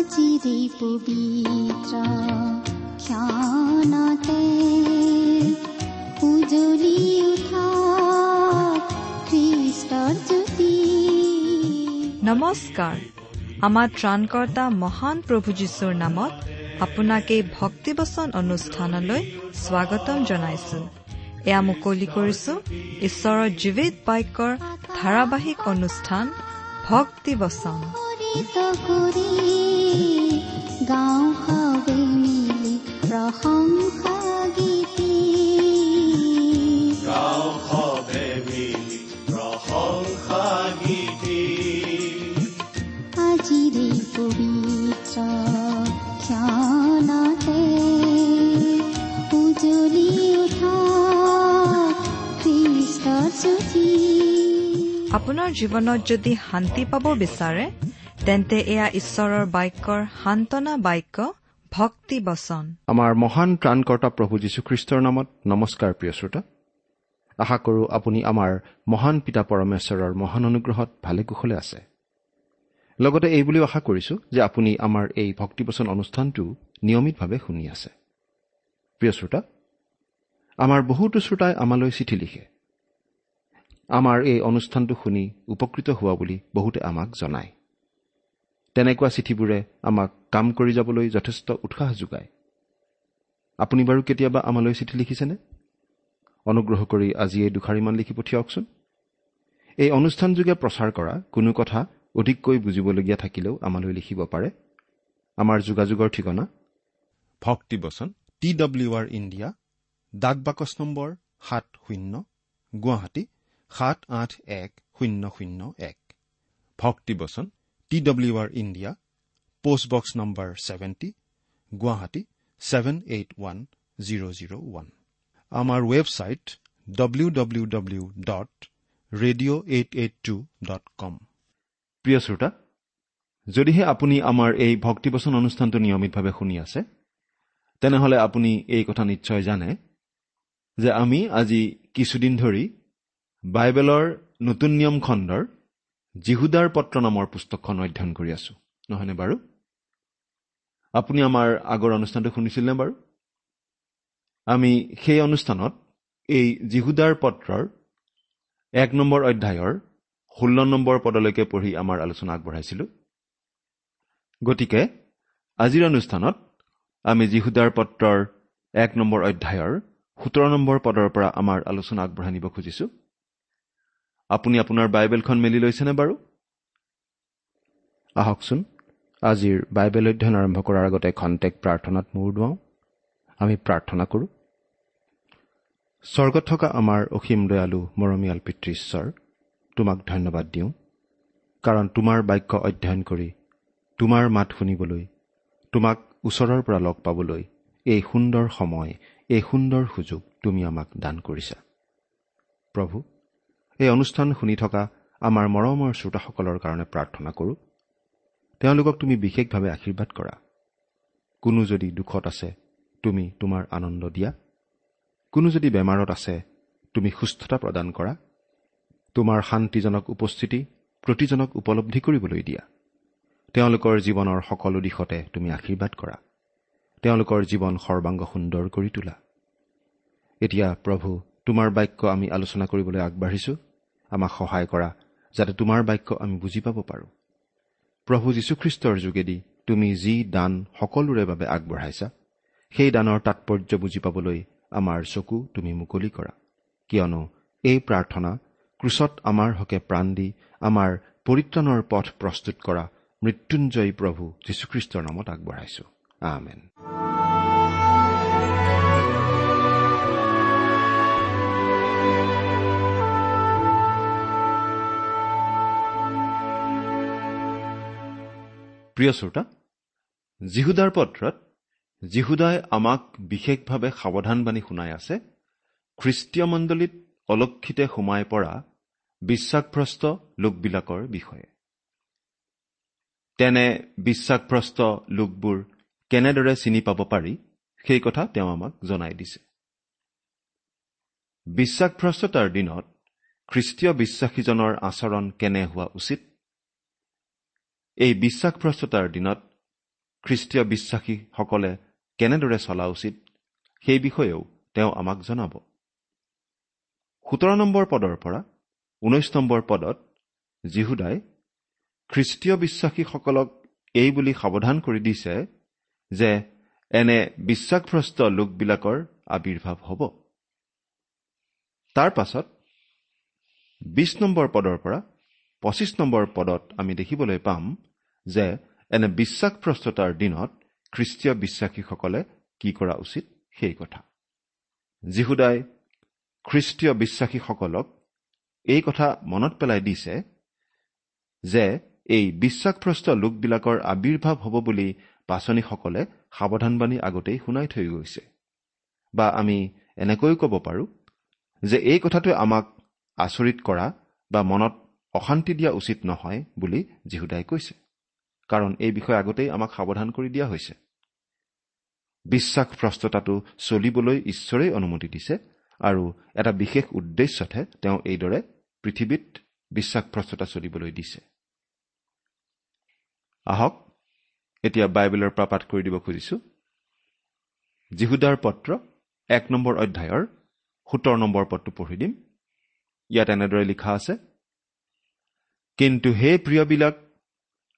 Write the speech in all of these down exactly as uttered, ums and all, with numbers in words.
আজিৰে পবিত্ৰ ক্ষণতে উজ্বলি উঠা খ্ৰীষ্টৰ জ্যোতি। নমস্কাৰ। আমাৰ ত্ৰাণকৰ্তা মহান প্ৰভু যীশুৰ নামত আপোনাক এই ভক্তিবচন অনুষ্ঠানলৈ স্বাগতম জনাইছো। এয়া মুকলি কৰিছো ঈশ্বৰৰ জীৱিত বাক্যৰ ধাৰাবাহিক অনুষ্ঠান ভক্তিবচন। আজিৰে পবিত্ৰ ক্ষণতে উজ্বলি উঠা খ্ৰীষ্টৰ জ্যোতি। আপোনাৰ জীৱনত যদি শান্তি পাব বিচাৰে তেন্তে এয়া ঈশ্বৰৰ বাক্যৰ সান্তনা বাক্য ভক্তি বচন। আমাৰ মহান ত্ৰাণকৰ্তা প্ৰভু যীশুখ্ৰীষ্টৰ নামত নমস্কাৰ প্ৰিয় শ্ৰোতা। আশা কৰোঁ আপুনি আমাৰ মহান পিতা পৰমেশ্বৰৰ মহান অনুগ্ৰহত ভালে কুশলে আছে। লগতে এই বুলিও আশা কৰিছোঁ যে আপুনি আমাৰ এই ভক্তিবচন অনুষ্ঠানটো নিয়মিতভাৱে শুনি আছে। প্ৰিয় শ্ৰোতা, আমাৰ বহুতো শ্ৰোতাই আমালৈ চিঠি লিখে। আমাৰ এই অনুষ্ঠানটো শুনি উপকৃত হোৱা বুলি বহুতে আমাক জনায়। তেনেকুৱা চিঠিবোৰে আমাক কাম কৰি যাবলৈ যথেষ্ট উৎসাহ যোগায়। আপুনি বাৰু কেতিয়াবা আমালৈ চিঠি লিখিছেনে? অনুগ্ৰহ কৰি আজি এই দুষাৰিমান লিখি পঠিয়াওকচোন। এই অনুষ্ঠানযোগে প্ৰচাৰ কৰা কোনো কথা অধিককৈ বুজিবলগীয়া থাকিলেও আমালৈ লিখিব পাৰে। আমাৰ যোগাযোগৰ ঠিকনা ভক্তিবচন টি ডব্লিউ আৰ ইণ্ডিয়া, ডাক বাকচ নম্বৰ সাত শূন্য, গুৱাহাটী সাত আঠ এক শূন্য শূন্য এক। ভক্তিবচন T W R India, post box number seventy, Guwahati seven eight one zero zero one. আমাৰ website W W W dot radio eight eight two dot com. প্ৰিয় শ্ৰোতা, যদিহে আপুনি আমাৰ এই ভক্তিবচন অনুষ্ঠানটো নিয়মিতভাৱে শুনি আছে তেনেহ'লে আপুনি এই কথা নিশ্চয় জানে যে আমি আজি কিছুদিন ধৰি বাইবেলৰ নতুন নিয়ম খণ্ডৰ যিহুদাৰ পত্ৰ নামৰ পুস্তকখন অধ্যয়ন কৰি আছো, নহয়নে বাৰু? আপুনি আমাৰ আগৰ অনুষ্ঠানটো শুনিছিলনে বাৰু? আমি সেই অনুষ্ঠানত এই যিহুদাৰ পত্ৰৰ এক নম্বৰ অধ্যায়ৰ ষোল্ল নম্বৰ পদলৈকে পঢ়ি আমাৰ আলোচনা আগবঢ়াইছিলোঁ। গতিকে আজিৰ অনুষ্ঠানত আমি যিহুদাৰ পত্ৰৰ এক নম্বৰ অধ্যায়ৰ সোতৰ নম্বৰ পদৰ পৰা আমাৰ আলোচনা আগবঢ়াই নিব খুজিছোঁ। আপুনি আপোনাৰ বাইবেলখন মেলি লৈছেনে বাৰু? আহকচোন আজিৰ বাইবেল অধ্যয়ন আৰম্ভ কৰাৰ আগতে খন্তেক প্ৰাৰ্থনাত মূৰ দোৱাওঁ। আমি প্ৰাৰ্থনা কৰোঁ। স্বৰ্গত থকা আমাৰ অসীম দয়ালু মৰমীয়াল পিতৃ ঈশ্বৰ, তোমাক ধন্যবাদ দিওঁ, কাৰণ তোমাৰ বাক্য অধ্যয়ন কৰি তোমাৰ মাত শুনিবলৈ, তোমাক ওচৰৰ পৰা লগ পাবলৈ এই সুন্দৰ সময়, এই সুন্দৰ সুযোগ তুমি আমাক দান কৰিছা। প্ৰভু, এই অনুষ্ঠান শুনি থকা আমাৰ মৰমৰ শ্ৰোতাসকলৰ কাৰণে প্ৰাৰ্থনা কৰোঁ। তেওঁলোকক তুমি বিশেষভাৱে আশীৰ্বাদ কৰা। কোনো যদি দুখত আছে তুমি তোমাৰ আনন্দ দিয়া, কোনো যদি বেমাৰত আছে তুমি সুস্থতা প্ৰদান কৰা। তোমাৰ শান্তিজনক উপস্থিতি প্ৰতিজনক উপলব্ধি কৰিবলৈ দিয়া। তেওঁলোকৰ জীৱনৰ সকলো দিশতে তুমি আশীৰ্বাদ কৰা। তেওঁলোকৰ জীৱন সৰ্বাংগ সুন্দৰ কৰি তোলা। এতিয়া প্ৰভু, তোমাৰ বাক্য আমি আলোচনা কৰিবলৈ আগবাঢ়িছোঁ। আমাক সহায় কৰা যাতে তোমাৰ বাক্য আমি বুজি পাব পাৰোঁ। প্ৰভু যীশুখ্ৰীষ্টৰ যোগেদি তুমি যি দান সকলোৰে বাবে আগবঢ়াইছা সেই দানৰ তাৎপৰ্য বুজি পাবলৈ আমাৰ চকু তুমি মুকলি কৰা। কিয়নো এই প্ৰাৰ্থনা ক্ৰুচত আমাৰ হকে প্ৰাণ দি আমাৰ পৰিত্ৰাণৰ পথ প্ৰস্তুত কৰা মৃত্যুঞ্জয়ী প্ৰভু যীশুখ্ৰীষ্টৰ নামত আগবঢ়াইছো। আমেন। প্ৰিয় শ্ৰোতা, যিহুদাৰ পত্ৰত যিহুদাই আমাক বিশেষভাৱে সাৱধানবাণী শুনাই আছে খ্ৰীষ্টীয় মণ্ডলীত অলক্ষিতে সোমাই পৰা বিশ্বাসভ্ৰষ্ট লোকবিলাকৰ বিষয়ে। তেনে বিশ্বাসভ্ৰষ্ট লোকবোৰ কেনেদৰে চিনি পাব পাৰি সেই কথা তেওঁ আমাক জনাই দিছে। বিশ্বাসভ্ৰষ্টতাৰ দিনত খ্ৰীষ্টীয় বিশ্বাসীজনৰ আচৰণ কেনে হোৱা উচিত, এই বিশ্বাসভ্ৰষ্টতাৰ দিনত খ্ৰীষ্টীয় বিশ্বাসীসকলে কেনেদৰে চলা উচিত সেই বিষয়েও তেওঁ আমাক জনাব। সোতৰ নম্বৰ পদৰ পৰা ঊনৈশ নম্বৰ পদত যীহুদাই খ্ৰীষ্টীয় বিশ্বাসীসকলক এই বুলি সাৱধান কৰি দিছে যে এনে বিশ্বাসভ্ৰষ্ট লোকবিলাকৰ আৱিৰ্ভাৱ হ'ব। তাৰ পাছত বিশ নম্বৰ পদৰ পৰা পঁচিছ নম্বৰ পদত আমি দেখিবলৈ পাম যে এনে বিশ্বাসভ্ৰষ্টতাৰ দিনত খ্ৰীষ্টীয় বিশ্বাসীসকলে কি কৰা উচিত সেই কথা। যীহুদাই খ্ৰীষ্টীয় বিশ্বাসীসকলক এই কথা মনত পেলাই দিছে যে এই বিশ্বাসভ্ৰষ্ট লোকবিলাকৰ আৱিৰ্ভাৱ হ'ব বুলি পাচনিসকলে সাৱধানবাণী আগতেই শুনাই থৈ গৈছে। বা আমি এনেকৈও ক'ব পাৰোঁ যে এই কথাটোৱে আমাক আচৰিত কৰা বা মনত অশান্তি দিয়া উচিত নহয় বুলি যীহুদাই কৈছে, কাৰণ এই বিষয়ে আগতেই আমাক সাৱধান কৰি দিয়া হৈছে। বিশ্বাসভ্ৰষ্টতাটো চলিবলৈ ঈশ্বৰেই অনুমতি দিছে আৰু এটা বিশেষ উদ্দেশ্যতহে তেওঁ এইদৰে পৃথিৱীত বিশ্বাসভ্ৰষ্টতা চলিবলৈ দিছে। আহক এতিয়া বাইবেলৰ পৰা পাঠ কৰি দিব খুজিছো। যীহুদাৰ পত্ৰ এক নম্বৰ অধ্যায়ৰ সোতৰ নম্বৰ পদটো পঢ়ি দিম। ইয়াত এনেদৰে লিখা আছে, কিন্তু হে প্ৰিয়বিলাক,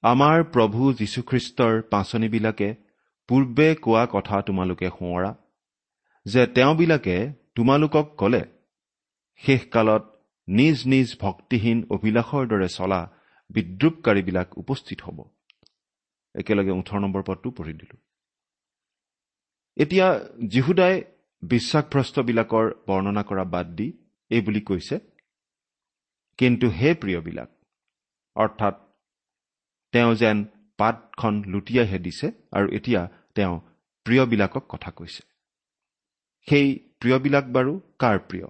আমাৰ প্ৰভু যীশুখ্ৰীষ্টৰ পাঁচনিবিলাকে পূৰ্বে কোৱা কথা তোমালোকে সোঁৱৰা, যে তেওঁবিলাকে তোমালোকক ক'লে, শেষকালত নিজ নিজ ভক্তিহীন অভিলাষৰ দৰে চলা বিদ্ৰূপকাৰীবিলাক উপস্থিত হ'ব। একেলগে ওঠৰ নম্বৰ পদটো পঢ়ি দিলো। এতিয়া যীহুদাই বিশ্বাসভ্ৰষ্টবিলাকৰ বৰ্ণনা কৰা বাদ দি এই বুলি কৈছে, কিন্তু হে প্ৰিয়বিলাক, অৰ্থাৎ তেওঁ যেন পাতখন লুটিয়াইহে দিছে আৰু এতিয়া তেওঁ প্ৰিয়বিলাকক কথা কৈছে। সেই প্ৰিয়বিলাক বাৰু কাৰ প্ৰিয়?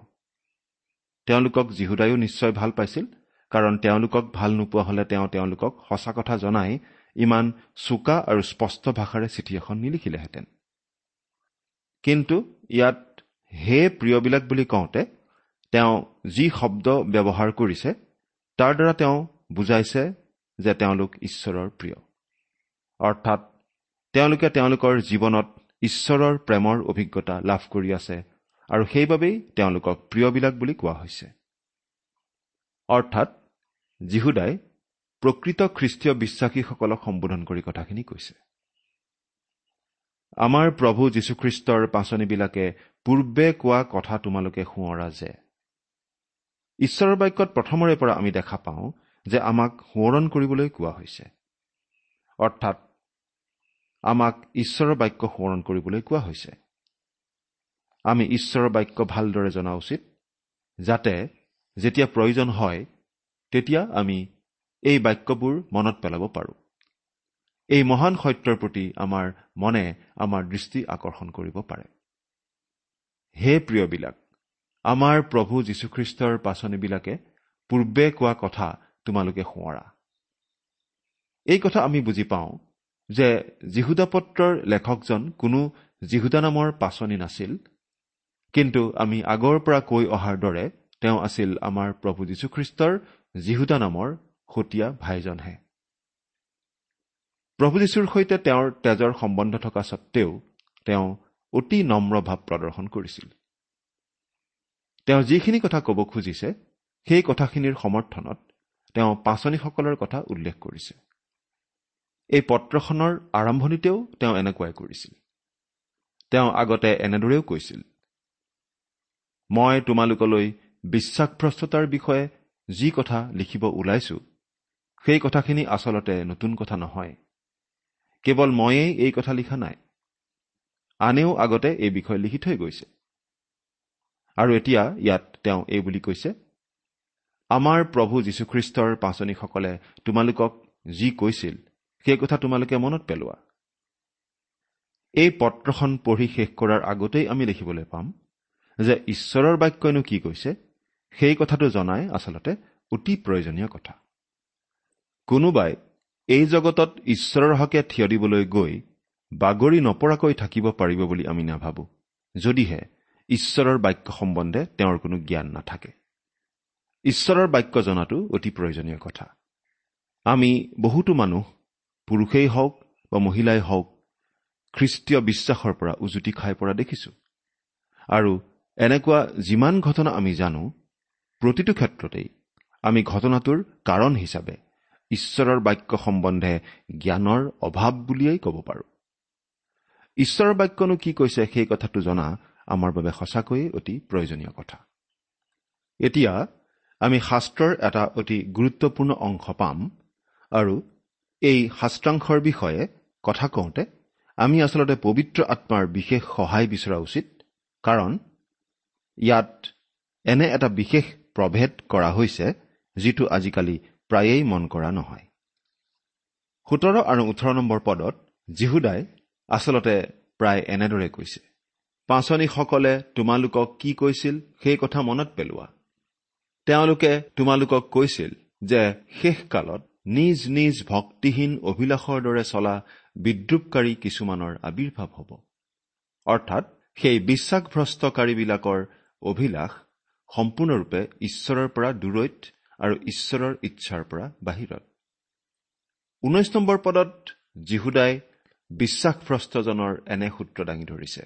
তেওঁলোকক যীহুদায়ো নিশ্চয় ভাল পাইছিল, কাৰণ তেওঁলোকক ভাল নোপোৱা হ'লে তেওঁ তেওঁলোকক সঁচা কথা জনাই ইমান চোকা আৰু স্পষ্ট ভাষাৰে চিঠি এখন নিলিখিলেহেঁতেন। কিন্তু ইয়াত হে প্ৰিয়বিলাক বুলি কওঁতে তেওঁ যি শব্দ ব্যৱহাৰ কৰিছে তাৰ দ্বাৰা তেওঁ বুজাইছে যে তেওঁলোক ঈশ্বৰৰ প্ৰিয়, অৰ্থাৎ তেওঁলোকে তেওঁলোকৰ জীৱনত ঈশ্বৰৰ প্ৰেমৰ অভিজ্ঞতা লাভ কৰি আছে আৰু সেইবাবেই তেওঁলোকক প্ৰিয়বিলাক বুলি কোৱা হৈছে। অৰ্থাৎ যীহুদাই প্ৰকৃত খ্ৰীষ্টীয় বিশ্বাসীসকলক সম্বোধন কৰি কথাখিনি কৈছে। আমাৰ প্ৰভু যীশুখ্ৰীষ্টৰ পাঁচনিবিলাকে পূৰ্বে কোৱা কথা তোমালোকে সোঁৱৰা যে। ঈশ্বৰৰ বাক্যত প্ৰথমৰে পৰা আমি দেখা পাওঁ যে আমাক সোঁৱৰণ কৰিবলৈ কোৱা হৈছে, অৰ্থাৎ আমাক ঈশ্বৰৰ বাক্য সোঁৱৰণ কৰিবলৈ কোৱা হৈছে। আমি ঈশ্বৰৰ বাক্য ভালদৰে জনা উচিত, যাতে যেতিয়া প্ৰয়োজন হয় তেতিয়া আমি এই বাক্যবোৰ মনত পেলাব পাৰোঁ। এই মহান সত্যৰ প্ৰতি আমাৰ মনে আমাৰ দৃষ্টি আকৰ্ষণ কৰিব পাৰে। হে প্ৰিয়বিলাক, আমাৰ প্ৰভু যীশুখ্ৰীষ্টৰ পাঁচনিবিলাকে পূৰ্বে কোৱা কথা তোমালোকে সোঁৱৰা। এই কথা আমি বুজি পাওঁ যে যীহুদা পত্ৰৰ লেখকজন কোনো যীহুদা নামৰ পাঁচনি নাছিল, কিন্তু আমি আগৰ পৰা কৈ অহাৰ দৰে তেওঁ আছিল আমাৰ প্ৰভু যীশুখ্ৰীষ্টৰ যীহুদা নামৰ সতীয়া ভাইজনহে। প্ৰভু যীশুৰ সৈতে তেওঁৰ তেজৰ সম্বন্ধ থকা স্বত্তেও তেওঁ অতি নম্ৰ ভাৱ প্ৰদৰ্শন কৰিছিল। তেওঁ যিখিনি কথা ক'ব খুজিছে সেই কথাখিনিৰ সমৰ্থনত তেওঁ পাঁচনিসকলৰ কথা উল্লেখ কৰিছে। এই পত্ৰখনৰ আৰম্ভণিতেও তেওঁ এনেকুৱাই কৰিছিল। তেওঁ আগতে এনেদৰেও কৈছিল, মই তোমালোকলৈ বিশ্বাসভ্ৰষ্টতাৰ বিষয়ে যি কথা লিখিব ওলাইছো সেই কথাখিনি আচলতে নতুন কথা নহয়। কেৱল ময়েই এই কথা লিখা নাই, আনেও আগতে এই বিষয়ে লিখি থৈ গৈছে। আৰু এতিয়া ইয়াত তেওঁ এই বুলি কৈছে, আমাৰ প্ৰভু যীশুখ্ৰীষ্টৰ পাঁচনিসকলে তোমালোকক যি কৈছিল সেই কথা তোমালোকে মনত পেলোৱা। এই পত্ৰখন পঢ়ি শেষ কৰাৰ আগতেই আমি দেখিবলৈ পাম যে ঈশ্বৰৰ বাক্যইনো কি কৈছে সেই কথাটো জনাই আচলতে অতি প্ৰয়োজনীয় কথা। কোনোবাই এই জগতত ঈশ্বৰৰ হকে থিয় দিবলৈ গৈ বাগৰি নপৰাকৈ থাকিব পাৰিব বুলি আমি নাভাবোঁ, যদিহে ঈশ্বৰৰ বাক্য সম্বন্ধে তেওঁৰ কোনো জ্ঞান নাথাকে। ঈশ্বৰৰ বাক্য জনাটো অতি প্ৰয়োজনীয় কথা। আমি বহুতো মানুহ, পুৰুষেই হওক বা মহিলাই হওক খ্ৰীষ্টীয় বিশ্বাসৰ পৰা উজুতি খাই পৰা দেখিছো। আৰু এনেকুৱা যিমান ঘটনা আমি জানো, প্ৰতিটো ক্ষেত্ৰতেই আমি ঘটনাটোৰ কাৰণ হিচাপে ঈশ্বৰৰ বাক্য সম্বন্ধে জ্ঞানৰ অভাৱ বুলিয়েই ক'ব পাৰোঁ। ঈশ্বৰৰ বাক্যনো কি কৈছে সেই কথাটো জনা আমাৰ বাবে সঁচাকৈয়ে অতি প্ৰয়োজনীয় কথা। এতিয়া আমি শাস্ত্ৰৰ এটা অতি গুৰুত্বপূৰ্ণ অংশ পাম আৰু এই শাস্ত্ৰাংশৰ বিষয়ে কথা কওঁতে আমি আচলতে পবিত্ৰ আত্মাৰ বিশেষ সহায় বিচৰা উচিত, কাৰণ ইয়াত এনে এটা বিশেষ প্ৰভেদ কৰা হৈছে যিটো আজিকালি প্ৰায়েই মন কৰা নহয়। সোতৰ আৰু ওঠৰ নম্বৰ পদত যিহুদাই আচলতে প্ৰায় এনেদৰে কৈছে, পাঁচনিসকলে তোমালোকক কি কৈছিল সেই কথা মনত পেলোৱা। তেওঁলোকে তোমালোকক কৈছিল যে শেষকালত নিজ নিজ ভক্তিহীন অভিলাষৰ দৰে চলা বিদ্ৰূপকাৰী কিছুমানৰ আৱিৰ্ভাৱ হ'ব। অৰ্থাৎ সেই বিশ্বাসভ্ৰষ্টকাৰীবিলাকৰ অভিলাষ সম্পূৰ্ণৰূপে ঈশ্বৰৰ পৰা দূৰৈত আৰু ঈশ্বৰৰ ইচ্ছাৰ পৰা বাহিৰত। ঊনৈশ নম্বৰ পদত যিহুদাই বিশ্বাসভ্ৰষ্টজনৰ এনে সূত্ৰ দাঙি ধৰিছে,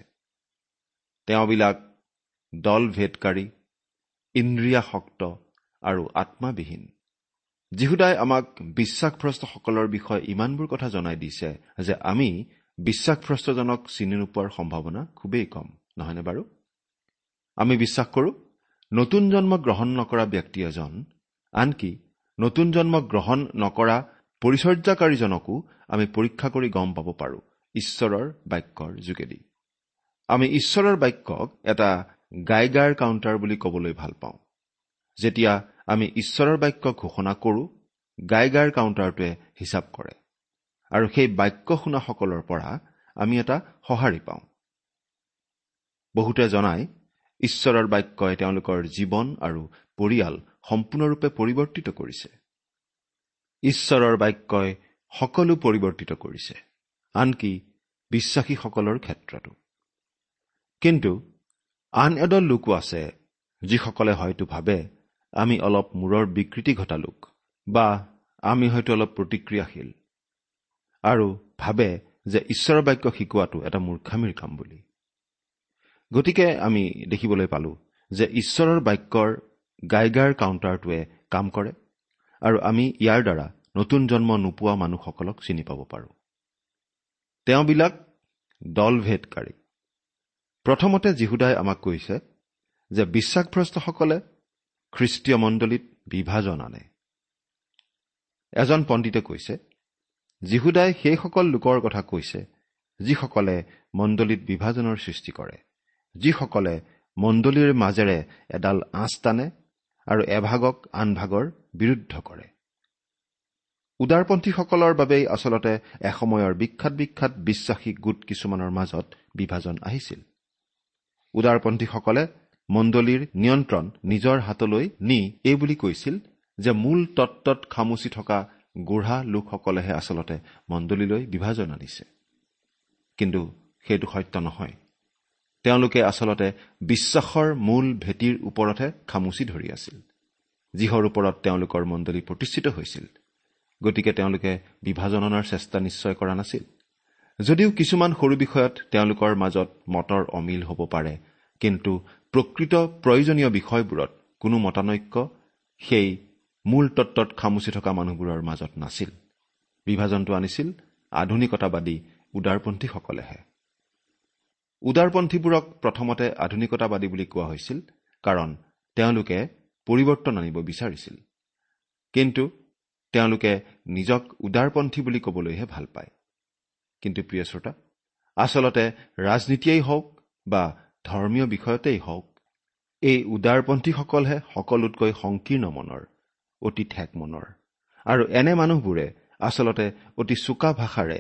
তেওঁবিলাক দলভেদকাৰী, ইন্দ্ৰিয়াসক্ত আৰু আত্মাবিহীন। যিহুদাই আমাক বিশ্বাসভ্ৰষ্টসকলৰ বিষয়ে ইমানবোৰ কথা জনাই দিছে যে আমি বিশ্বাসভ্ৰষ্টজনক চিনি নোপোৱাৰ সম্ভাৱনা খুবেই কম, নহয়নে বাৰু? আমি বিশ্বাস কৰোঁ নতুন জন্ম গ্ৰহণ নকৰা ব্যক্তি এজন, আনকি নতুন জন্ম গ্ৰহণ নকৰা পৰিচৰ্যাকাৰীজনকো আমি পৰীক্ষা কৰি গম পাব পাৰোঁ ঈশ্বৰৰ বাক্যৰ যোগেদি। আমি ঈশ্বৰৰ বাক্যক এটা গাইগাৰ কাউণ্টাৰ বুলি ক'বলৈ ভাল পাওঁ। যেতিয়া আমি ঈশ্বৰৰ বাক্য ঘোষণা কৰোঁ, গাইগাৰ কাউণ্টাৰটোৱে হিচাপ কৰে আৰু সেই বাক্য শুনাসকলৰ পৰা আমি এটা সঁহাৰি পাওঁ। বহুতে জনায় ঈশ্বৰৰ বাক্যই তেওঁলোকৰ জীৱন আৰু পৰিয়াল সম্পূৰ্ণৰূপে পৰিৱৰ্তিত কৰিছে। ঈশ্বৰৰ বাক্যই সকলো পৰিৱৰ্তিত কৰিছে, আনকি বিশ্বাসীসকলৰ ক্ষেত্ৰতো। কিন্তু আন এদল লোকো আছে যিসকলে হয়তো ভাবে আমি অলপ মূৰৰ বিকৃতি ঘটা লোক বা আমি হয়তো অলপ প্ৰতিক্ৰিয়াশীল আৰু ভাবে যে ঈশ্বৰৰ বাক্য শিকোৱাটো এটা মূৰ্খামিৰ কাম বুলি। গতিকে আমি দেখিবলৈ পালোঁ যে ঈশ্বৰৰ বাক্যৰ গাইগাৰ কাউণ্টাৰটোৱে কাম কৰে আৰু আমি ইয়াৰ দ্বাৰা নতুন জন্ম নোপোৱা মানুহসকলক চিনি পাব পাৰোঁ। তেওঁবিলাক দলভেদকাৰী। প্ৰথমতে যিহুদাই আমাক কৈছে যে বিশ্বাসভ্ৰষ্টসকলে খ্ৰীষ্টীয় মণ্ডলীত বিভাজন আনে। এজন পণ্ডিতে কৈছে যিহুদাই সেইসকল লোকৰ কথা কৈছে যিসকলে মণ্ডলীত বিভাজনৰ সৃষ্টি কৰে, যিসকলে মণ্ডলীৰ মাজেৰে এডাল আঁচ টানে আৰু এভাগক আন ভাগৰ বিৰুদ্ধ কৰে। উদাৰপন্থীসকলৰ বাবেই আচলতে এসময়ৰ বিখ্যাত বিখ্যাত বিশ্বাসী গোট কিছুমানৰ মাজত বিভাজন আহিছিল। উদাৰপন্থীসকলে মণ্ডলীৰ নিয়ন্ত্ৰণ নিজৰ হাতলৈ নি এই বুলি কৈছিল যে মূল তত্ত্বত খামুচি থকা গোঢ়া লোকসকলেহে আচলতে মণ্ডলীলৈ বিভাজন আনিছে। কিন্তু সেইটো সত্য নহয়। তেওঁলোকে আচলতে বিশ্বাসৰ মূল ভেটিৰ ওপৰতহে খামুচি ধৰি আছিল, যিহৰ ওপৰত তেওঁলোকৰ মণ্ডলী প্ৰতিষ্ঠিত হৈছিল। গতিকে তেওঁলোকে বিভাজন অনাৰ চেষ্টা নিশ্চয় কৰা নাছিল। যদিও কিছুমান সৰু বিষয়ত তেওঁলোকৰ মাজত মতৰ অমিল হ'ব পাৰে, কিন্তু প্ৰকৃত প্ৰয়োজনীয় বিষয়বোৰত কোনো মতানৈক্য সেই মূল তত্ত্বত খামুচি থকা মানুহবোৰৰ মাজত নাছিল। বিভাজনটো আনিছিল আধুনিকতাবাদী উদাৰপন্থীসকলেহে। উদাৰপন্থীবোৰক প্ৰথমতে আধুনিকতাবাদী বুলি কোৱা হৈছিল, কাৰণ তেওঁলোকে পৰিৱৰ্তন আনিব বিচাৰিছিল। কিন্তু তেওঁলোকে নিজক উদাৰপন্থী বুলি ক'বলৈহে ভাল পায়। কিন্তু প্ৰিয় শ্ৰোতা, আচলতে ৰাজনীতিয়েই হওক বা ধৰ্মীয় বিষয়তেই হওক, এই উদাৰপন্থীসকলহে সকলোতকৈ সংকীৰ্ণ মনৰ, অতি ঠেক মনৰ। আৰু এনে মানুহবোৰে আচলতে অতি চোকা ভাষাৰে,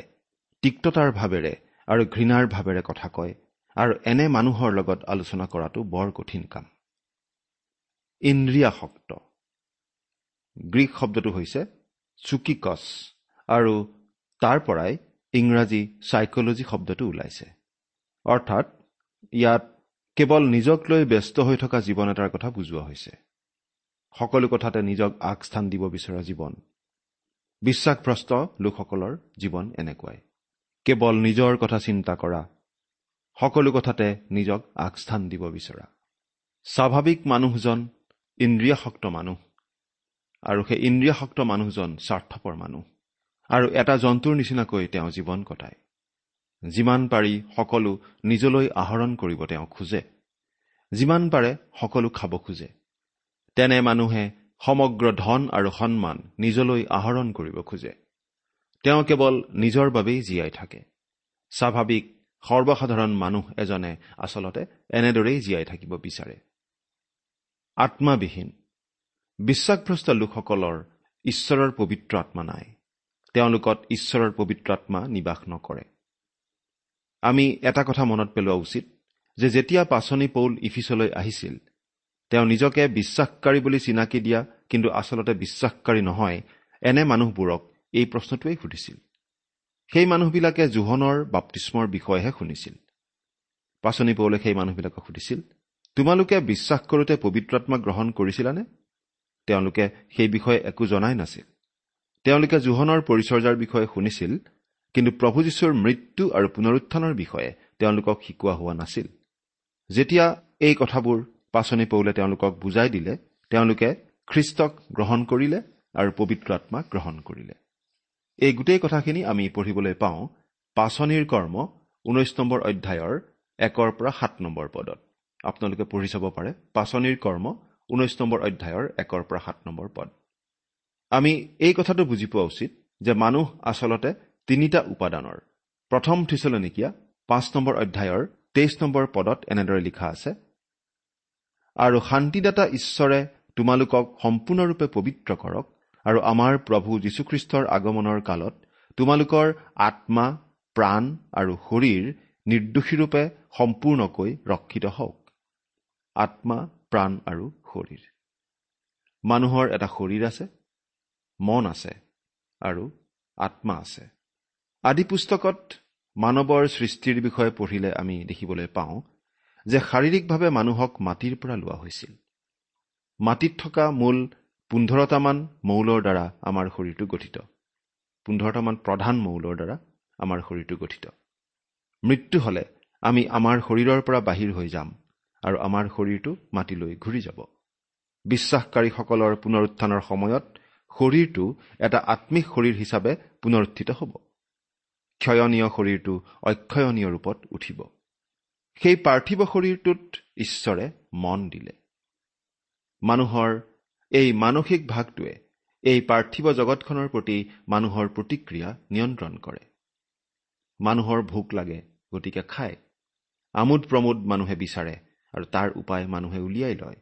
তিক্ততাৰ ভাৱেৰে আৰু ঘৃণাৰ ভাৱেৰে কথা কয়, আৰু এনে মানুহৰ লগত আলোচনা কৰাটো বৰ কঠিন কাম। ইন্দ্ৰিয়াসক্ত গ্ৰীক শব্দটো হৈছে চুকিকছ, আৰু তাৰ পৰাই ইংৰাজী চাইকলজি শব্দটো ওলাইছে। অৰ্থাৎ ইয়াত কেৱল নিজক লৈ ব্যস্ত হৈ থকা জীৱন এটাৰ কথা বুজোৱা হৈছে, সকলো কথাতে নিজক আগস্থান দিব বিচৰা জীৱন। বিশ্বাসভ্ৰষ্ট লোকসকলৰ জীৱন এনেকুৱাই। কেৱল নিজৰ কথা চিন্তা কৰা, সকলো কথাতে নিজক আগস্থান দিব বিচৰা। স্বাভাৱিক মানুহজন ইন্দ্ৰিয়াসক্ত মানুহ, আৰু সেই ইন্দ্ৰিয়াসক্ত মানুহজন স্বাৰ্থপৰ মানুহ, আৰু এটা জন্তুৰ নিচিনাকৈ তেওঁ জীৱন কটায়। যিমান পাৰি সকলো নিজলৈ আহৰণ কৰিব তেওঁ খোজে, যিমান পাৰে সকলো খাব খোজে। তেনে মানুহে সমগ্ৰ ধন আৰু সন্মান নিজলৈ আহৰণ কৰিব খোজে। তেওঁ কেৱল নিজৰ বাবেই জীয়াই থাকে। স্বাভাৱিক সৰ্বসাধাৰণ মানুহ এজনে আচলতে এনেদৰেই জীয়াই থাকিব বিচাৰে। আত্মাবিহীন বিশ্বাসভ্ৰষ্ট লোকসকলৰ ঈশ্বৰৰ পবিত্ৰ আত্মা নাই, তেওঁলোকত ঈশ্বৰৰ পবিত্ৰ আত্মা নিবাস নকৰে। আমি এটা কথা মনত পেলোৱা উচিত যে যেতিয়া পাচনি পৌল ইফিচলৈ আহিছিল, তেওঁ নিজকে বিশ্বাসকাৰী বুলি চিনাকি দিয়া কিন্তু আচলতে বিশ্বাসকাৰী নহয় এনে মানুহবোৰক এই প্ৰশ্নটোৱেই সুধিছিল। সেই মানুহবিলাকে জোহনৰ বাপ্তিস্মৰ বিষয়েহে শুনিছিল। পাচনি পৌলে সেই মানুহবিলাকক সুধিছিল, তোমালোকে বিশ্বাস কৰোঁতে পবিত্ৰ আত্মা গ্ৰহণ কৰিছিলানে? তেওঁলোকে সেই বিষয়ে একো জনাই নাছিল। তেওঁলোকে জোহনৰ পৰিচৰ্যাৰ বিষয়ে শুনিছিল, কিন্তু প্ৰভু যীশুৰ মৃত্যু আৰু পুনৰুত্থানৰ বিষয়ে তেওঁলোকক শিকোৱা হোৱা নাছিল। যেতিয়া এই কথাবোৰ পাচনি পৌলে তেওঁলোকক বুজাই দিলে, তেওঁলোকে খ্ৰীষ্টক গ্ৰহণ কৰিলে আৰু পবিত্ৰ আত্মা গ্ৰহণ কৰিলে। এই গোটেই কথাখিনি আমি পঢ়িবলৈ পাওঁ পাচনিৰ কৰ্ম ঊনৈশ নম্বৰ অধ্যায়ৰ একৰ পৰা সাত নম্বৰ পদত। আপোনালোকে পঢ়ি চাব পাৰে পাচনিৰ কৰ্ম ঊনৈশ নম্বৰ অধ্যায়ৰ একৰ পৰা সাত নম্বৰ পদ। আমি এই কথাটো বুজি পোৱা উচিত যে মানুহ আচলতে তিনিটা উপাদানৰ। প্ৰথম থিচলনিকীয়া পাঁচ নম্বৰ অধ্যায়ৰ তেইছ নম্বৰ পদত এনেদৰে লিখা আছে, আৰু শান্তিদাতা ঈশ্বৰে তোমালোকক সম্পূৰ্ণৰূপে পবিত্ৰ কৰক, আৰু আমাৰ প্ৰভু যীশুখ্ৰীষ্টৰ আগমনৰ কালত তোমালোকৰ আত্মা, প্ৰাণ আৰু শৰীৰ নিৰ্দোষীৰূপে সম্পূৰ্ণকৈ ৰক্ষিত হওক। আত্মা, প্ৰাণ আৰু শৰীৰ। মানুহৰ এটা শৰীৰ আছে, মন আছে আৰু আত্মা আছে। আদি পুস্তকত মানৱৰ সৃষ্টিৰ বিষয়ে পঢ়িলে আমি দেখিবলৈ পাওঁ যে শাৰীৰিকভাৱে মানুহক মাটিৰ পৰা লোৱা হৈছিল। মাটিত থকা মূল পোন্ধৰটামান মৌলৰ দ্বাৰা আমাৰ শৰীৰটো গঠিত, পোন্ধৰটামান প্ৰধান মৌলৰ দ্বাৰা আমাৰ শৰীৰটো গঠিত। মৃত্যু হ'লে আমি আমাৰ শৰীৰৰ পৰা বাহিৰ হৈ যাম আৰু আমাৰ শৰীৰটো মাটিলৈ ঘূৰি যাব। বিশ্বাসকাৰীসকলৰ পুনৰুত্থানৰ সময়ত শৰীৰটো এটা আত্মিক শৰীৰ হিচাপে পুনৰুত্থিত হ'ব। ক্ষয়নীয় শৰীৰটো অক্ষয়নীয় ৰূপত উঠিব। সেই পাৰ্থিৱ শৰীৰটোত ঈশ্বৰে মন দিলে। মানুহৰ এই মানসিক ভাগটোৱে এই পাৰ্থিৱ জগতখনৰ প্ৰতি মানুহৰ প্ৰতিক্ৰিয়া নিয়ন্ত্ৰণ কৰে। মানুহৰ ভোক লাগে, গতিকে খায়। আমোদ প্ৰমোদ মানুহে বিচাৰে আৰু তাৰ উপায় মানুহে উলিয়াই লয়।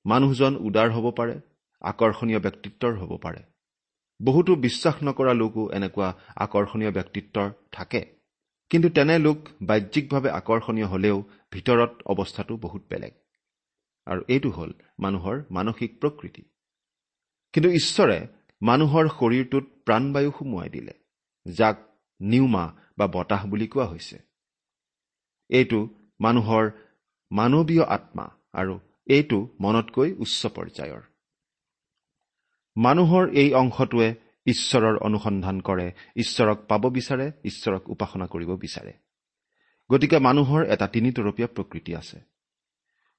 মানুহজন উদাৰ হ'ব পাৰে, আকৰ্ষণীয় ব্যক্তিত্বৰ হ'ব পাৰে। বহুতো বিশ্বাস নকৰা লোকো এনেকুৱা আকৰ্ষণীয় ব্যক্তিত্বৰ থাকে, কিন্তু তেনে লোক বাহ্যিকভাৱে আকৰ্ষণীয় হ'লেও ভিতৰত অৱস্থাটো বহুত বেলেগ। আৰু এইটো হ'ল মানুহৰ মানসিক প্ৰকৃতি। কিন্তু ঈশ্বৰে মানুহৰ শৰীৰটোত প্ৰাণবায়ু সুমুৱাই দিলে, যাক নিউমা বা বতাহ বুলি কোৱা হৈছে। এইটো মানুহৰ মানৱীয় আত্মা আৰু এইটো মনতকৈ উচ্চ পৰ্যায়ৰ। মানুহৰ এই অংশটোৱে ঈশ্বৰৰ অনুসন্ধান কৰে, ঈশ্বৰক পাব বিচাৰে, ঈশ্বৰক উপাসনা কৰিব বিচাৰে। গতিকে মানুহৰ এটা তিনিতৰপীয়া প্ৰকৃতি আছে: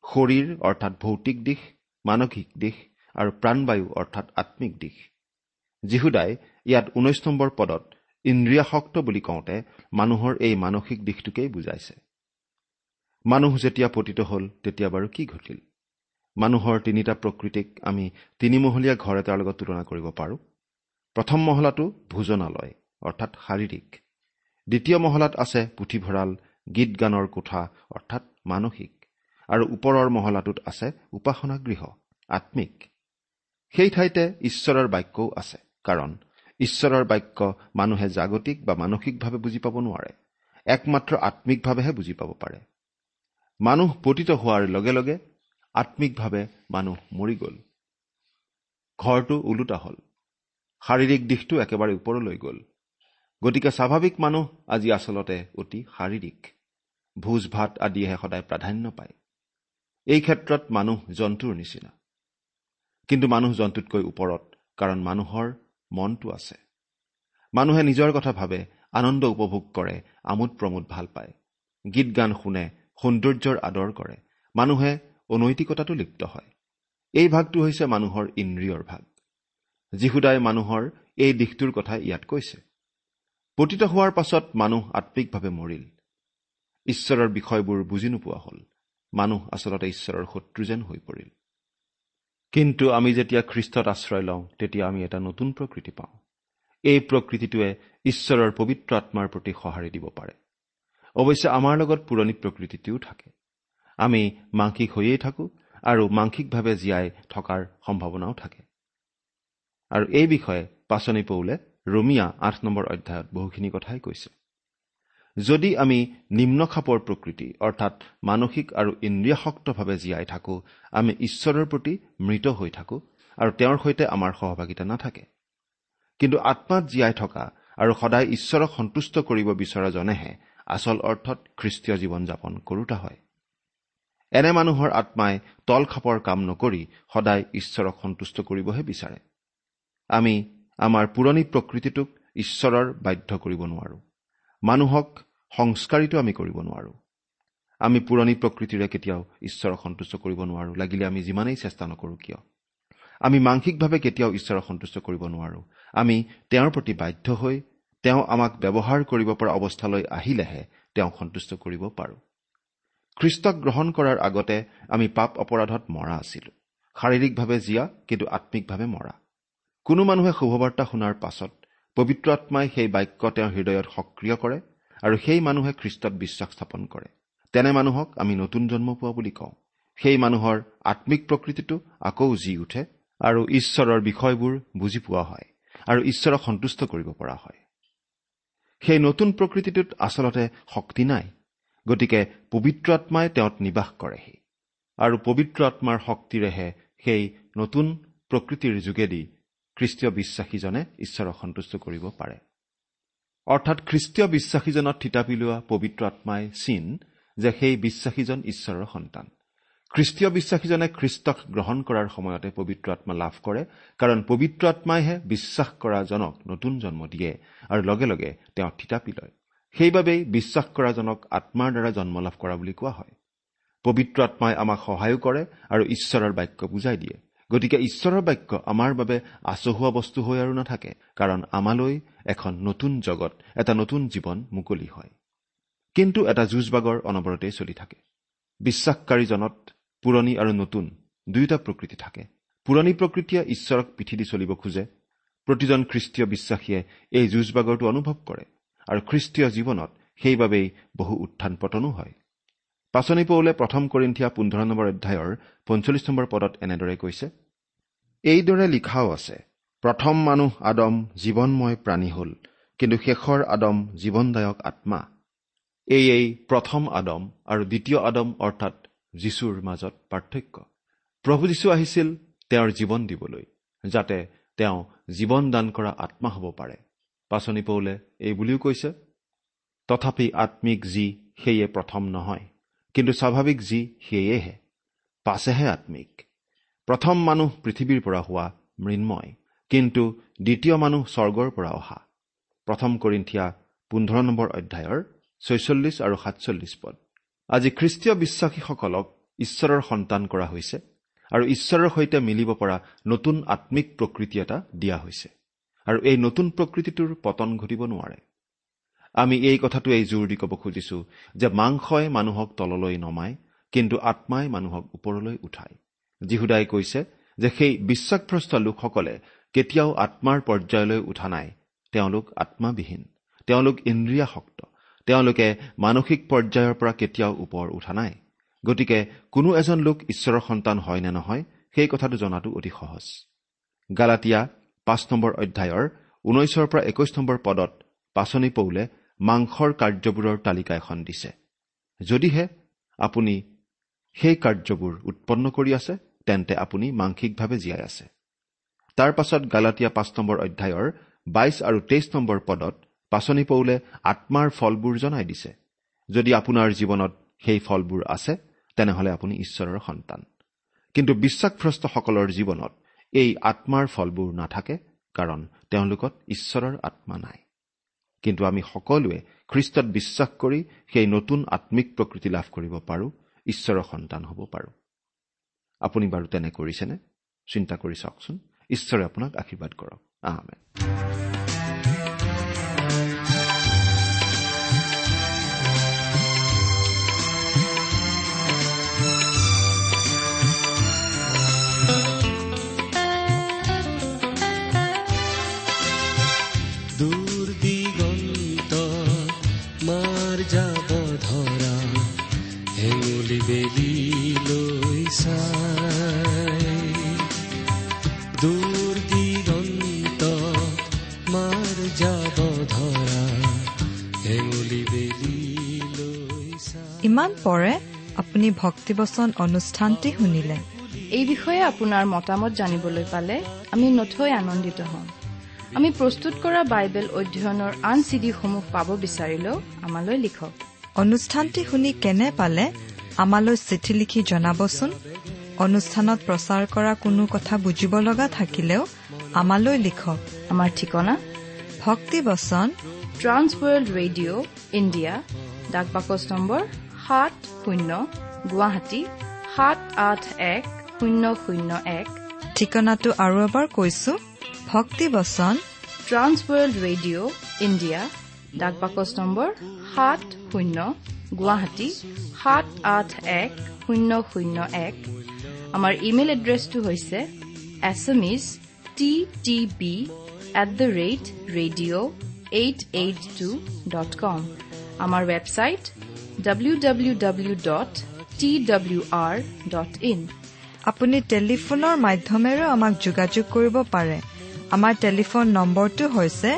শৰীৰ অৰ্থাৎ ভৌতিক দিশ, মানসিক দিশ আৰু প্ৰাণবায়ু অৰ্থাৎ আত্মিক দিশ। যীহুদাই ইয়াত ঊনৈশ নম্বৰ পদত ইন্দ্ৰিয়াসক্ত বুলি কওঁতে মানুহৰ এই মানসিক দিশটোকেই বুজাইছে। মানুহ যেতিয়া পতিত হ'ল তেতিয়া বাৰু কি ঘটিল? মানুহৰ তিনিটা প্ৰকৃতিক আমি তিনিমহলীয়া ঘৰ এটাৰ লগত তুলনা কৰিব পাৰোঁ। প্ৰথম মহলাটো ভোজনালয় অৰ্থাৎ শাৰীৰিক, দ্বিতীয় মহলাত আছে পুথিভঁৰাল, গীত গানৰ কোঠা অৰ্থাৎ মানসিক, আৰু ওপৰৰ মহলাটোত আছে উপাসনা গৃহ আত্মিক। সেই ঠাইতে ঈশ্বৰৰ বাক্যও আছে, কাৰণ ঈশ্বৰৰ বাক্য মানুহে জাগতিক বা মানসিকভাৱে বুজি পাব নোৱাৰে, একমাত্ৰ আত্মিকভাৱেহে বুজি পাব পাৰে। মানুহ পতিত হোৱাৰ লগে লগে আত্মিকভাৱে মানুহ মৰি গ'ল। ঘৰটো ওলোটা হ'ল, শাৰীৰিক দিশটো একেবাৰে ওপৰলৈ গ'ল। গতিকে স্বাভাৱিক মানুহ আজি আচলতে অতি শাৰীৰিক, ভোজ ভাত আদিয়েহে সদায় প্ৰাধান্য পায়। এই ক্ষেত্ৰত মানুহ জন্তুৰ নিচিনা, কিন্তু মানুহ জন্তুতকৈ ওপৰত, কাৰণ মানুহৰ মনটো আছে। মানুহে নিজৰ কথা ভাবে, আনন্দ উপভোগ কৰে, আমোদ প্ৰমোদ ভাল পায়, গীত গান শুনে, সৌন্দৰ্যৰ আদৰ কৰে। মানুহে অনৈতিকতাতো লিপ্ত হয়। এই ভাগটো হৈছে মানুহৰ ইন্দ্ৰিয়ৰ ভাগ। যীহুদাই মানুহৰ এই দিশটোৰ কথা ইয়াত কৈছে। পতিত হোৱাৰ পাছত মানুহ আত্মিকভাৱে মৰিল, ঈশ্বৰৰ বিষয়বোৰ বুজি নোপোৱা হ'ল। মানুহ আচলতে ঈশ্বৰৰ শত্ৰু যেন হৈ পৰিল। কিন্তু আমি যেতিয়া খ্ৰীষ্টত আশ্ৰয় লওঁ, তেতিয়া আমি এটা নতুন প্ৰকৃতি পাওঁ। এই প্ৰকৃতিটোৱে ঈশ্বৰৰ পবিত্ৰ আত্মাৰ প্ৰতি সঁহাৰি দিব পাৰে। অৱশ্যে আমাৰ লগত পুৰণি প্ৰকৃতিটোও থাকে। আমি মাংসিক হৈয়েই থাকোঁ আৰু মাংসিকভাৱে জীয়াই থকাৰ সম্ভাৱনাও থাকে। আৰু এই বিষয়ে পাচনি পৌলে ৰোমিয়া আঠ নম্বৰ অধ্যায়ত বহুখিনি কথাই কৈছে। যদি আমি নিম্নখাপৰ প্ৰকৃতি অৰ্থাৎ মানসিক আৰু ইন্দ্ৰিয়াসক্তভাৱে জীয়াই থাকোঁ, আমি ঈশ্বৰৰ প্ৰতি মৃত হৈ থাকোঁ আৰু তেওঁৰ সৈতে আমাৰ সহভাগিতা নাথাকে। কিন্তু আত্মাত জীয়াই থকা আৰু সদায় ঈশ্বৰক সন্তুষ্ট কৰিব বিচৰাজনেহে আচল অৰ্থত খ্ৰীষ্টীয় জীৱন যাপন কৰোতা হয়। এনে মানুহৰ আত্মাই তলখাপৰ কাম নকৰি সদায় ঈশ্বৰক সন্তুষ্ট কৰিবহে বিচাৰে। আমি আমাৰ পুৰণি প্ৰকৃতিটোক ঈশ্বৰৰ বাধ্য কৰিব নোৱাৰোঁ। মানুহক সংস্কাৰিত আমি কৰিব নোৱাৰোঁ। আমি পুৰণি প্ৰকৃতিৰে কেতিয়াও ঈশ্বৰক সন্তুষ্ট কৰিব নোৱাৰোঁ, লাগিলে আমি যিমানেই চেষ্টা নকৰোঁ কিয়। আমি মাংসিকভাৱে কেতিয়াও ঈশ্বৰক সন্তুষ্ট কৰিব নোৱাৰোঁ। আমি তেওঁৰ প্ৰতি বাধ্য হৈ তেওঁ আমাক ব্যৱহাৰ কৰিব পৰা অৱস্থালৈ আহিলেহে তেওঁক সন্তুষ্ট কৰিব পাৰোঁ। খ্ৰীষ্টক গ্ৰহণ কৰাৰ আগতে আমি পাপ অপৰাধত মৰা আছিলোঁ, শাৰীৰিকভাৱে জীয়া কিন্তু আত্মিকভাৱে মৰা। কোনো মানুহে শুভবাৰ্তা শুনাৰ পাছত পবিত্ৰ আত্মাই সেই বাক্য তেওঁৰ হৃদয়ত সক্ৰিয় কৰে আৰু সেই মানুহে খ্ৰীষ্টত বিশ্বাস স্থাপন কৰে। তেনে মানুহক আমি নতুন জন্ম পোৱা বুলি কওঁ। সেই মানুহৰ আত্মিক প্ৰকৃতিটো আকৌ জি উঠে আৰু ঈশ্বৰৰ বিষয়বোৰ বুজি পোৱা হয় আৰু ঈশ্বৰক সন্তুষ্ট কৰিব পৰা হয়। সেই নতুন প্ৰকৃতিটোত আচলতে শক্তি নাই, গতিকে পবিত্ৰ আত্মাই তেওঁত নিবাস কৰেহি আৰু পবিত্ৰ আত্মাৰ শক্তিৰেহে সেই নতুন প্ৰকৃতিৰ যোগেদি খ্ৰীষ্টীয় বিশ্বাসীজনে ঈশ্বৰক সন্তুষ্ট কৰিব পাৰে। অৰ্থাৎ খ্ৰীষ্টীয় বিশ্বাসীজনত থিতাপি লোৱা পবিত্ৰ আত্মাই চিন যে সেই বিশ্বাসীজন ঈশ্বৰৰ সন্তান। খ্ৰীষ্টীয় বিশ্বাসীজনে খ্ৰীষ্টক গ্ৰহণ কৰাৰ সময়তে পবিত্ৰ আত্মা লাভ কৰে, কাৰণ পবিত্ৰ আত্মাইহে বিশ্বাস কৰাজনক নতুন জন্ম দিয়ে আৰু লগে লগে তেওঁ থিতাপি লয়। সেইবাবেই বিশ্বাস কৰাজনক আত্মাৰ দ্বাৰা জন্ম লাভ কৰা বুলি কোৱা হয়। পবিত্ৰ আত্মাই আমাক সহায়ো কৰে আৰু ঈশ্বৰৰ বাক্য বুজাই দিয়ে। গতিকে ঈশ্বৰৰ বাক্য আমাৰ বাবে আচহুৱা বস্তু হৈ আৰু নাথাকে, কাৰণ আমালৈ এখন নতুন জগত, এটা নতুন জীৱন মুকলি হয়। কিন্তু এটা যুঁজবাগৰ অনবৰতেই চলি থাকে। বিশ্বাসকাৰীজনত পুৰণি আৰু নতুন দুয়োটা প্ৰকৃতি থাকে। পুৰণি প্ৰকৃতিয়ে ঈশ্বৰক পিঠি দি চলিব খোজে। প্ৰতিজন খ্ৰীষ্টীয় বিশ্বাসীয়ে এই যুঁজবাগৰটো অনুভৱ কৰে আৰু খ্ৰীষ্টীয় জীৱনত সেইবাবেই বহু উত্থান পতনো হয়। পাচনি পৌলে প্ৰথম কৰিন্থিয়া পোন্ধৰ নম্বৰ অধ্যায়ৰ পঞ্চল্লিছ নম্বৰ পদত এনেদৰে কৈছে, এইদৰে লিখাও আছে, প্ৰথম মানুহ আদম জীৱনময় প্ৰাণী হ'ল, কিন্তু শেষৰ আদম জীৱনদায়ক আত্মা। এয়েই প্ৰথম আদম আৰু দ্বিতীয় আদম অৰ্থাৎ যীশুৰ মাজত পাৰ্থক্য। প্ৰভু যীশু আহিছিল তেওঁৰ জীৱন দিবলৈ, যাতে তেওঁ জীৱন দান কৰা আত্মা হ'ব পাৰে। পাচনি পৌলে এই বুলিও কৈছে, তথাপি আত্মিক যি সেয়ে প্ৰথম নহয়, কিন্তু স্বাভাৱিক যি সেয়েহে, পাছেহে আত্মিক। প্ৰথম মানুহ পৃথিৱীৰ পৰা হোৱা মৃন্ময়, কিন্তু দ্বিতীয় মানুহ স্বৰ্গৰ পৰা অহা। প্ৰথম কৰিন্থিয়া পোন্ধৰ নম্বৰ অধ্যায়ৰ ছয়চল্লিছ আৰু সাতচল্লিছ পদ। আজি খ্ৰীষ্টীয় বিশ্বাসীসকলক ঈশ্বৰৰ সন্তান কৰা হৈছে আৰু ঈশ্বৰৰ সৈতে মিলিব পৰা নতুন আত্মিক প্ৰকৃতি এটা দিয়া হৈছে আৰু এই নতুন প্ৰকৃতিটোৰ পতন ঘটিব নোৱাৰে। আমি এই কথাটোৱেই জোৰ দি ক'ব খুজিছো যে মাংসই মানুহক তললৈ নমায়, কিন্তু আত্মাই মানুহক ওপৰলৈ উঠায়। যীহুদাই কৈছে যে সেই বিশ্বাসভ্ৰষ্ট লোকসকলে কেতিয়াও আত্মাৰ পৰ্যায়লৈ উঠা নাই। তেওঁলোক আত্মাবিহীন, তেওঁলোক ইন্দ্ৰিয়াসক্ত, তেওঁলোকে মানসিক পৰ্যায়ৰ পৰা কেতিয়াও ওপৰ উঠা নাই। গতিকে কোনো এজন লোক ঈশ্বৰৰ সন্তান হয় নে নহয় সেই কথাটো জনাটো অতি সহজ। গালাটীয়া পাঁচ নম্বৰ অধ্যায়ৰ ঊনৈছৰ পৰা একৈশ নম্বৰ পদত পাচনি পৌলে মাংসৰ কাৰ্যবোৰৰ তালিকা এখন দিছে। যদিহে আপুনি সেই কাৰ্যবোৰ উৎপন্ন কৰি আছে, তেন্তে আপুনি মাংসিকভাৱে জীয়াই আছে। তাৰ পাছত গালাটীয়া পাঁচ নম্বৰ অধ্যায়ৰ বাইশ আৰু তেইছ নম্বৰ পদত পাচনি পৌলে আত্মাৰ ফলবোৰ জনাই দিছে। যদি আপোনাৰ জীৱনত সেই ফলবোৰ আছে, তেনেহ'লে আপুনি ঈশ্বৰৰ সন্তান। কিন্তু বিশ্বাসভ্ৰষ্টসকলৰ জীৱনত এই আত্মাৰ ফলবোৰ নাথাকে, কাৰণ তেওঁলোকত ঈশ্বৰৰ আত্মা নাই। কিন্তু আমি সকলোৱে খ্ৰীষ্টত বিশ্বাস কৰি সেই নতুন আত্মিক প্ৰকৃতি লাভ কৰিব পাৰোঁ, ঈশ্বৰৰ সন্তান হ'ব পাৰোঁ। আপুনি বাৰু তেনে কৰিছেনে? চিন্তা কৰি চাওকচোন। ঈশ্বৰে আপোনাক আশীৰ্বাদ কৰক। আমেন। দূৰ দিগন্ত মাৰ যাব ধৰা হেঙুলি বেলি লৈ চাই, দূৰ দিগন্ত মাৰ যাব ধৰা হেঙুলি বেলি লৈ চাই। ইমান পৰে আপুনি ভক্তিবচন অনুষ্ঠানটি শুনিলে। এই বিষয়ে আপোনাৰ মতামত জানিবলৈ পালে আমি নথৈ আনন্দিত হ'ম। আমি প্ৰস্তুত কৰা বাইবেল অধ্যয়নৰ আন চিডিসমূহ পাব বিচাৰিলেও আমালৈ লিখক। অনুষ্ঠানটি শুনি কেনে পালে আমালৈ চিঠি লিখি জনাবচোন। অনুষ্ঠানত প্ৰচাৰ কৰা কোনো কথা বুজিব লগা থাকিলেও আমালৈ লিখক। আমাৰ ঠিকনা ভক্তিবচন ট্ৰান্সৱৰ্ল্ড ৰেডিঅ' ইণ্ডিয়া, ডাক বাকচ নম্বৰ সাত শূন্য, গুৱাহাটী সাত আঠ এক শূন্য শূন্য এক। ঠিকনাটো আৰু এবাৰ কৈছো, ভক্তিবচন ট্ৰান্সৱৰ্ল্ড ৰেডিঅ' ইণ্ডিয়া, ডাক বাকচ নম্বৰ সাত শূন্য, গুৱাহাটী সাত আঠ এক শূন্য শূন্য এক। আমাৰ ইমেইল এড্ৰেছটো হৈছে Assamese T T B at the rate radio eight eight two dot com. আমাৰ website W W W dot T W R dot in. আপুনি টেলিফোনৰ মাধ্যমেৰেও আমাক যোগাযোগ কৰিব পাৰে। আমাৰ টেলিফোন নম্বৰটো হৈছে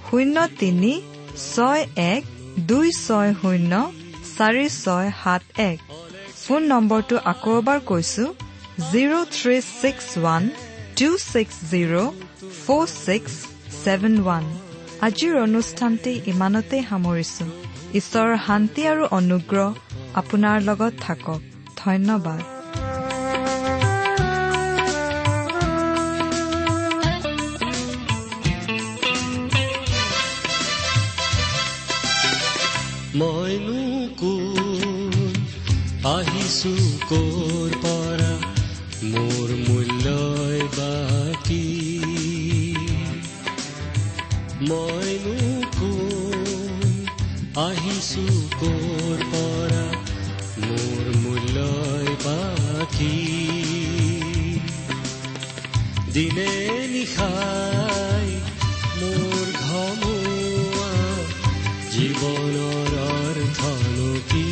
শূন্য তিনি ছয় এক দুই ছয় শূন্য চাৰি ছয় সাত এক। ফোন নম্বৰটো আকৌ এবাৰ কৈছো, zero three six one two six zero four six seven one. আজিৰ অনুষ্ঠানটি ইমানতেই সামৰিছো। ঈশ্বৰৰ শান্তি আৰু অনুগ্ৰহ আপোনাৰ লগত থাকক। ধন্যবাদ। মইনো কোন, আহিছো ক'ৰ পৰা, মোৰ মূল্যই বাকী। মইনো কোন, আহিছো ক'ৰ পৰা, মোৰ মূল্যই বাকী। দিনে নিশাই মোৰ ঘমোৱা জীৱনৰ অৰ্থনো কি?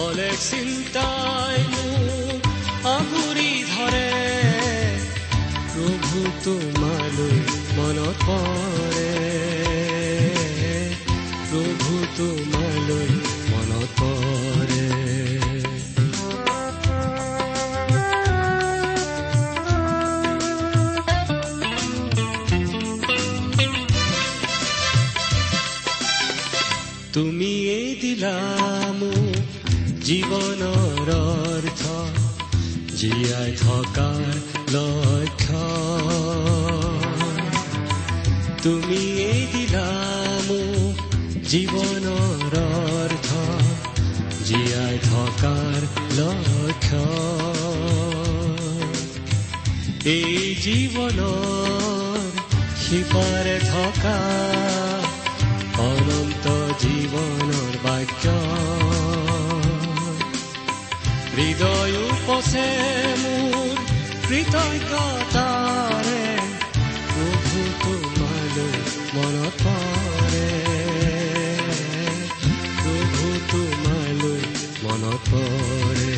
অলেখ চিন্তাই মোক আগুৰি ধৰে, প্ৰভু তোমালৈ মনত পৰে, প্ৰভু তোমালৈ মনত পৰে। তুমিয়ে দিলা মোক জীৱনৰ অৰ্থ, জীয়াই থকাৰ লক্ষ্য। তুমিয়ে দিলা মোক জীৱনৰ অৰ্থ, জীয়াই থকাৰ লক্ষ্য। এই জীৱনৰ সিপাৰে থকা অনন্ত জীৱনৰ বাক্য, হৃদয় উপচে মোৰ কৃতজ্ঞতাৰে, প্ৰভু তোমালৈ মনত পৰে, প্ৰভু তোমালৈ মনত পৰে।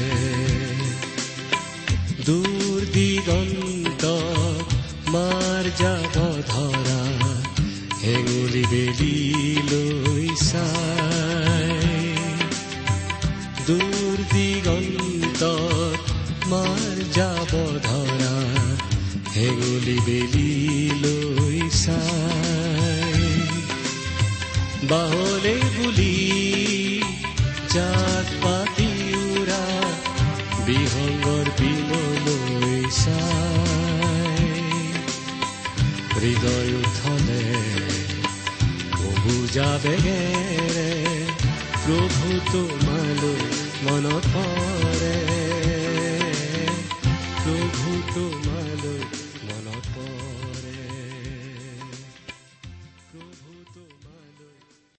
দূৰ দিগন্ত মাৰ যাব ধৰা হেঙুলি বেলি লৈ চাই, দূৰ দিগন্ত মাৰ যাব ধৰা হেঙুলি বেলি লৈ চাই। বাহলে বুলি জাক পাতি উৰা বিহংগৰ বিমলৈ চাই, হৃদয় উঠলে বুজা বেগেৰে প্ৰভু তোমালৈ মনত পৰে।